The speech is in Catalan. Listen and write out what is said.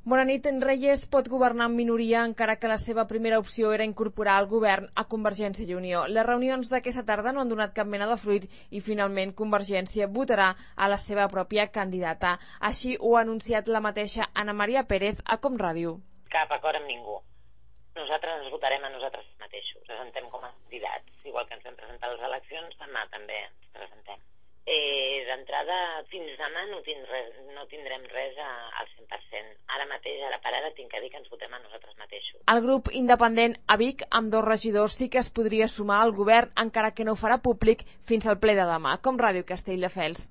Bona nit. Reyes pot governar en minoria encara que la seva primera opció era incorporar al govern a Convergència i Unió. Les reunions d'aquesta tarda no han donat cap mena de fruit i finalment Convergència votarà a la seva pròpia candidata. Així ho ha anunciat la mateixa Ana Maria Pérez a Com Ràdio. Cap acord amb ningú. Nosaltres ens votarem a nosaltres mateixos. Presentem com a candidats. Igual que ens vam presentar a les eleccions, demà també ens presentem. D'entrada, fins demà no tindrem res al 100%. Ara mateix, a la parada, tinc que dir que ens votem a nosaltres mateixos. El grup independent a Vic, amb 2 regidors, sí que es podria sumar al govern, encara que no ho farà públic fins al ple de demà. Com Ràdio Castelldefels.